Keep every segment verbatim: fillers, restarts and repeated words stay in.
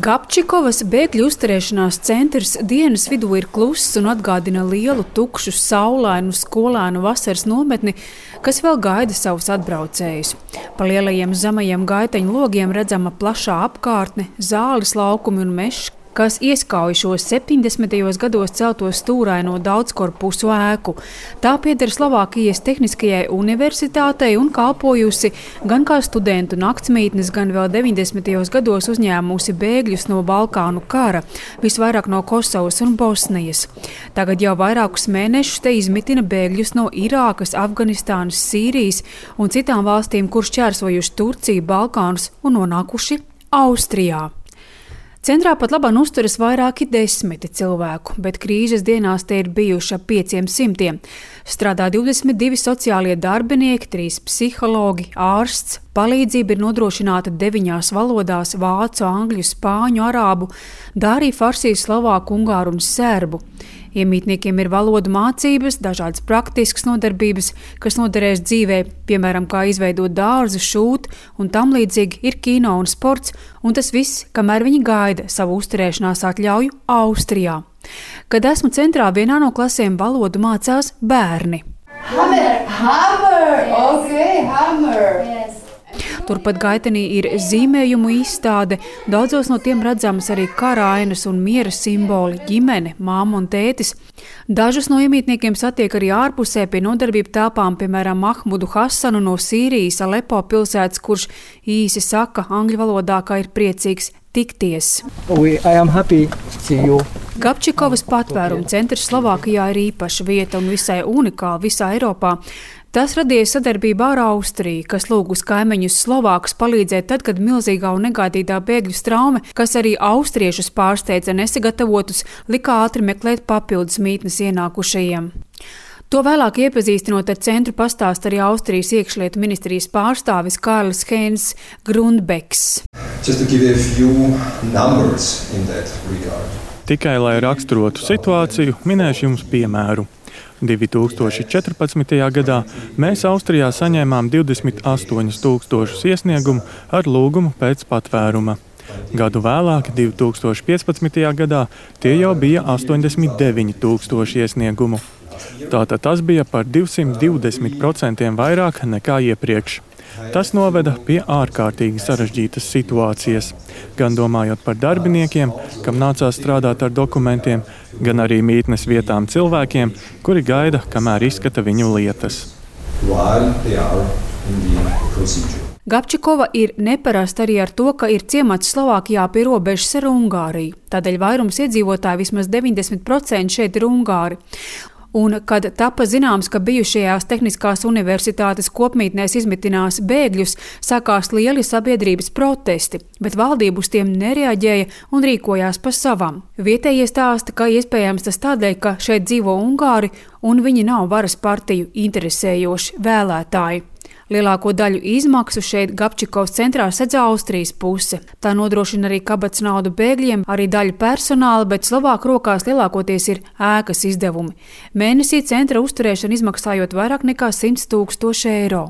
Gabčikovas bēgļu uzturēšanās centrs dienas vidū ir kluss un atgādina lielu, tukšu, saulainu, skolēnu vasaras nometni, kas vēl gaida savus atbraucējus. Pa lielajiem zemajiem gaiteņu logiem redzama plašā apkārtne, zāles laukumi un mežs, kas ieskauj šo septiņdesmitajos gados celto stūraino daudzkorpusu ēku. Tā pieder Slovākijas Tehniskajai universitātei un kalpojusi gan kā studentu naktsmītnes, gan vēl deviņdesmitajos gados uzņēmusi bēgļus no Balkānu kara, visvairāk no Kosovas un Bosnijas. Tagad jau vairākus mēnešus te izmitina bēgļus no Irākas, Afganistānas, Sīrijas un citām valstīm, kur šķērsojuši Turciju, Balkānus un nonākuši Austrijā. Centrā pat labāk uzturas vairāki desmiti cilvēku, bet krīzes dienās te ir bijuši ap pieciem simtiem. Strādā divdesmit divi sociālie darbinieki, trīs psihologi, ārsts. Palīdzība ir nodrošināta deviņās valodās – vācu, angļu, spāņu, arābu, dārī, farsī, slovāku, ungāru un serbu. Iemītniekiem ir valodu mācības, dažādas praktiskas nodarbības, kas noderēs dzīvē, piemēram, kā izveidot dārzu, šūt un tam līdzīgi ir kino un sports, un tas viss, kamēr viņi gaida savu uzturēšanās atļauju Austrijā. Kad esmu centrā, vienā no klasēm valodu mācās bērni. Hammer! Hammer! Okay, hammer! Yes. Turpat gaitenī ir zīmējumu izstāde, daudzos no tiem redzamas arī kara ainas un miera simboli, ģimene, māma un tētis. Dažus no iemītniekiem satiek arī ārpusē pie nodarbību telpām, piemēram, Mahmudu Hasanu no Sīrijas, Alepo pilsētas, kurš īsi saka angļu valodā, ka ir priecīgs tikties. We, I am happy to see you. Gabčikovas patvērumu centrs Slovākijā ir īpaša vieta un visai unikāla visā Eiropā. Tas radīja sadarbību ar Austriju, kas lūgus kaimiņus Slovākus palīdzēt tad, kad milzīgā un negaidītā bēgļu straume, kas arī austriešus pārsteidza nesagatavotus, lika ātri meklēt papildus mītnes ienākušajiem. To vēlāk iepazīstinot ar centru pastāst arī Austrijas iekšlietu ministrijas pārstāvis Karls Heinz Grundbeks. Tikai lai raksturotu situāciju, minēšu jums piemēru. divi tūkstoši četrpadsmitajā gadā mēs Austrijā saņēmām divdesmit astoņus tūkstošus iesniegumu ar lūgumu pēc patvēruma. Gadu vēlāk, divi tūkstoši piecpadsmitajā gadā, tie jau bija astoņdesmit deviņi tūkstoši iesniegumu. Tātad tas bija par divsimt divdesmit procentiem vairāk nekā iepriekš. Tas noveda pie ārkārtīgi sarežģītas situācijas, gan domājot par darbiniekiem, kam nācās strādāt ar dokumentiem, gan arī mītnes vietām cilvēkiem, kuri gaida, kamēr izskata viņu lietas. Gabčikova ir neparasta arī ar to, ka ir ciemats Slovākijā pie robežas ar Ungāriju. Tādēļ vairums iedzīvotāji, vismaz deviņdesmit procenti šeit ir ungāri. Un, kad tapa zināms, ka bijušajās Tehniskās universitātes kopmītnēs izmitinās bēgļus, sākās lieli sabiedrības protesti, bet valdība uz tiem nereaģēja un rīkojās pa savam. Vietējie stāsta, ka iespējams tas tādēļ, ka šeit dzīvo ungāri un viņi nav varas partiju interesējoši vēlētāji. Lielāko daļu izmaksu šeit Gabčikovas centrā sedz Austrijas puse. Tā nodrošina arī kabatas naudu bēgļiem, arī daļu personāla, bet Slovāku rokās lielākoties ir ēkas izdevumi. Mēnesī centra uzturēšana izmaksājot vairāk nekā simt tūkstoši eiro.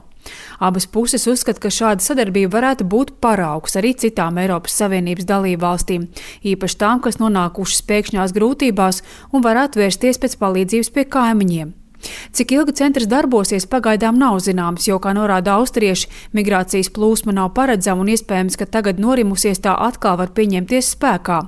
Abas puses uzskata, ka šāda sadarbība varētu būt paraugs arī citām Eiropas Savienības dalību valstīm, īpaši tām, kas nonākušas pēkšņās grūtībās un varētu vērsties pēc palīdzības pie kaimiņiem. Cik ilgi centrs darbosies, pagaidām nav zināms, jo, kā norāda austrieši, migrācijas plūsma nav paredzama un iespējams, ka tagad norimusies tā atkal var pieņemties spēkā.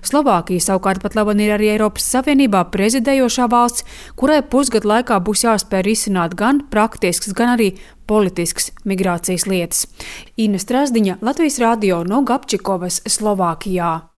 Slovākija savukārt pat labi ir arī Eiropas Savienībā prezidējošā valsts, kurai pusgadu laikā būs jāspēj risināt gan praktisks, gan arī politisks migrācijas lietas. Ina Strasdiņa, Latvijas radio no Gabčikovas, Slovākijā.